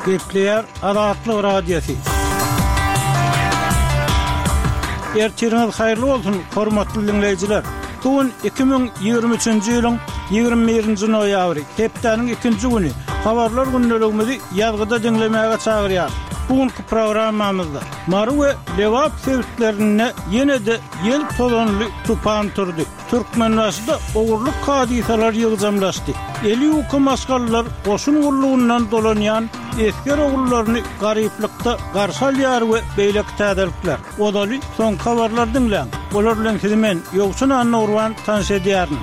Gepleýär Azatlyk Radiosy. Ertiriňiz haýyrly bolsun, hormatly diňleýjiler! Bu gün 2023-nji ýylyň 21-nji noýabry, hepdäniň ikinji güni. Habarlar gündeligimizi ýazgyda diňlemäge çagyrýarys. Bu günki programmamyzda Mary we Lebap sebitlerinde ýene-de ýel tozanly tupan turdy. Türkmenbaşyda ogurlyk hadysalary ýygjamlaşdy. Eli ýuka maşgalalar goşun gullugyndan dolanýan esger ogullaryny garyplykda garşy alýar we beýleki täzelikler. Ozaly soňky habarlary diňläň. Olar bilen sizi men, Ýowşan Annagurban tanyş edýärin.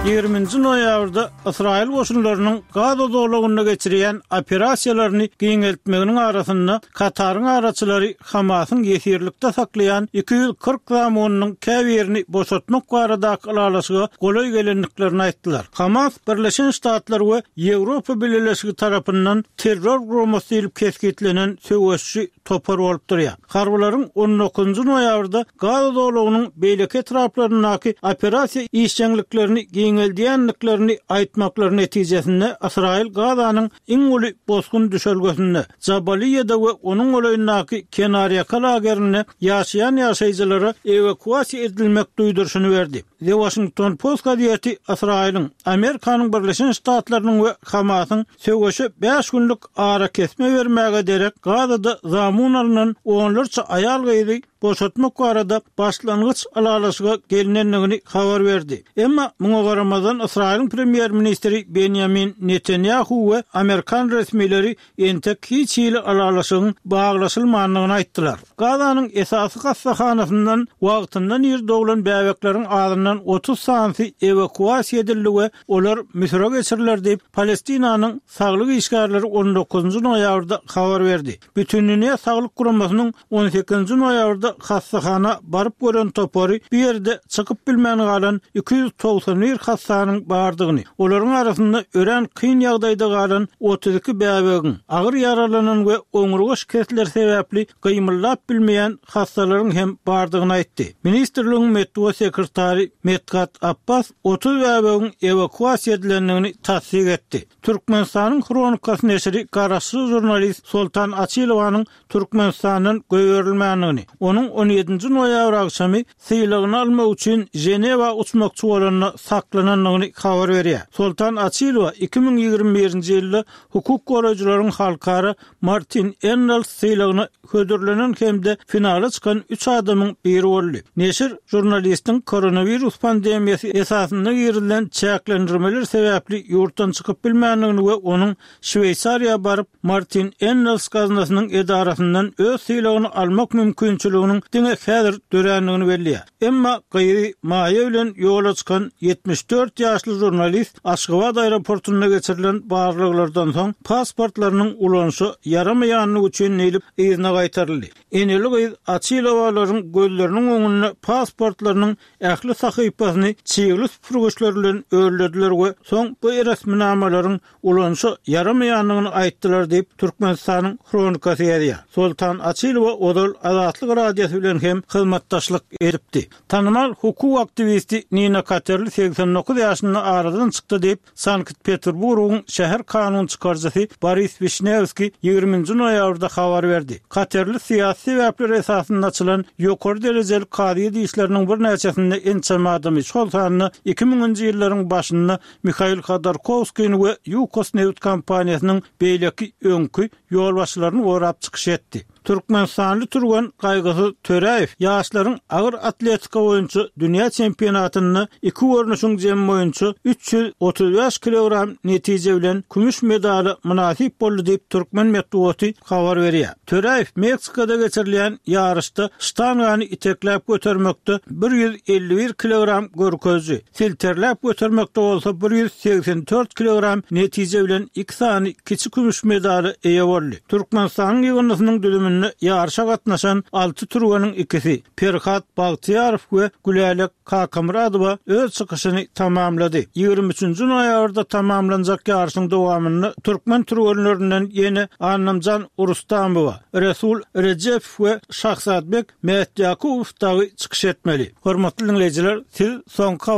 Ýigriminji noýabrda Ysraýyl goşunlarynyň Gaza zolagynda geçirýän operasiýalaryny giňeltmeginiň arasynda Kataryň araçylary Hamasyň ýesirlikde saklaýan 240 zamunynyň käbirini boşatmak baradaky ylalaşyga golaý gelendiklerini aýtdylar. Hamas Birleşen Ştatlar we Ýewropa Bileleşigi tarapyndan terror guramasy diýlip kesgitlenen söweşçi topar bolup durýar. Harbylaryň on dokuzynjy noýabrda Gaza zolagynyň beýleki etraplaryndaky operasiýa işjeňliklerini giňeldýändiklerini aýtmaklary netijesinde Ysraýyl Gazanyň iň uly bosgun düşelgesinde, Jabaliýada we onuň golaýyndaky kenarýaka lagerinde ýaşaýan ýaşaýjylara ewakuasiýa edilmek duýduryşyny berdi. The Washington Post gazeti Ysraýylyň, Amerikanyň Birleşen Ştatlarynyň we Hamasyň söweşe bäş günlük arakesme bermäge derek Gazada zamun alnan onlarça aýal-gyzy boşatmak barada başlangyç ylalaşyga gelnendigini habar berdi. Emma muňa garamazdan Ysraýylyň premýer-ministri Benýamin Netanýahu we amerikan resmileri entek hiç hili ylalaşygyň baglaşylmandygyny aýtdylar. Gazanyň esasy hassahanasyndan wagtyndan ir doglan bäbekleriň azyndan 30 sanysy ewakuasiýa edildi we olar Müsüre geçiriler diýip, Palestinanyň saglyk işgärleri on dokuzynjy noýabrda habar berdi. Bütindünýä saglyk guramasynyň on sekizinji noýabrda hassahana baryp gören topary bu ýerde çykyp bilmän galan 291 hassanyň bardygyny, olaryň arasynda örän kyn ýagdaýda galan 32 bäbegiň, agyr ýaralanan we oňurga şikesleri sebäpli gymyldap bilmeýän hassalaryň hem bardygyny aýtdy. Ministrligiň metbugat sekretary Medhat Abbas 30 bäbegiň ewakuasiýa edilendigini tassyk etdi. Türkmenistanyň Hronikasy neşiri garaşsyz žurnalist Soltan Açylowanyň Türkmenistandan goýberilmändigini, onuň on ýedinji noýabr agşamy sylagyny almak üçin Ženewa uçmakçy bolanda saklanandygyny habar berýär. Soltan Açylowa 2021-nji ýylda hukuk goraýjylaryň halkara Martin Ennals sylagyna hödürlenen hem-de finala çykan üç adamyň biri boldy. Neşir žurnalistiň koronawirus pandemiýasy esasynda girizilen çäklendirmeler sebäpli ýurtdan çykyp bilmändigini we onuň Şweýsariýa baryp, Martin Ennals gaznasynyň edarasyndan öz sylagyny almak mümkinçiliginiň diňe häzir dörändigini belleýär. Emma gyzy Maýa bilen ýola çykan 74 ýaşly žurnalist Aşgabat aeroportunda geçirilen barlaglardan soň pasportlarynyň ulanyşa ýaramaýandygy üçin diýlip yzyna gaýtaryldy. Eneli-gyz Açylowalaryň gözleriniň öňünde pasportlarynyň ähli sahypasyny çygly süpürgiçler bilen öllediler we soň bu resminamalaryň ulanyşa ýaramaýandygyny aýtdylar diýip, Türkmenistanyň Hronikasy ýazýar. Soltan Açylowa ozal Azatlyk Radiosy bilen hem hyzmatdaşlyk edipdi. Tanymal hukuk aktiwisti Nina Katerli 89 ýaşynda aradan çykdy diýip, Sankt-Peterburgyň şäher kanun çykaryjysy Boris Wişnewskiý ýigriminji noýabrda habar berdi. Katerli syýasy sebäpler esasynda açylan ýokary derejeli kazyýet işleriniň birnäçesinde ençeme adamy, şol sanda iki müňünji ýyllaryň başynda Mihail Hodorkowskini we Ýukos nebit kompaniýasynyň beýleki öňki ýolbaşçylaryny gorap çykyş etdi. Türkmenistanly türgen Gaýgysyz Töräýew ýaşlaryň agyr atletika boýunça dünýä çempionatynda iki görnüşiň jemi boýunça 335 kilogram netije bilen kümüş medala mynasyp boldy diýip, türkmen metbugaty habar berýär. Töräýew Meksikada geçirilýän ýaryşda ştangany itekläp götermekde 151 kilogram görkeziji, Silterläp götermekde bolsa 184 kilogram netije bilen iki sany kiçi kümüş medala eýe boldy. Türkmenistanyň ýygyndysynyň düzüminde ýaryşa gatnaşan alty türgeniň ikisi, Perhat Bagtyýarow we Gülälek Kakamyradowa öz çykyşyny tamamlady. Ýigrimi üçünji noýabrda tamamlanjak ýaryşyň dowamynda türkmen türgenlerinden ýene Annamjan Rustamowa, Resul Rejepow we Şahzadbek Mätýakubow dagy çykyş etmeli. Hormatly diňleýjiler, siz soňky habar.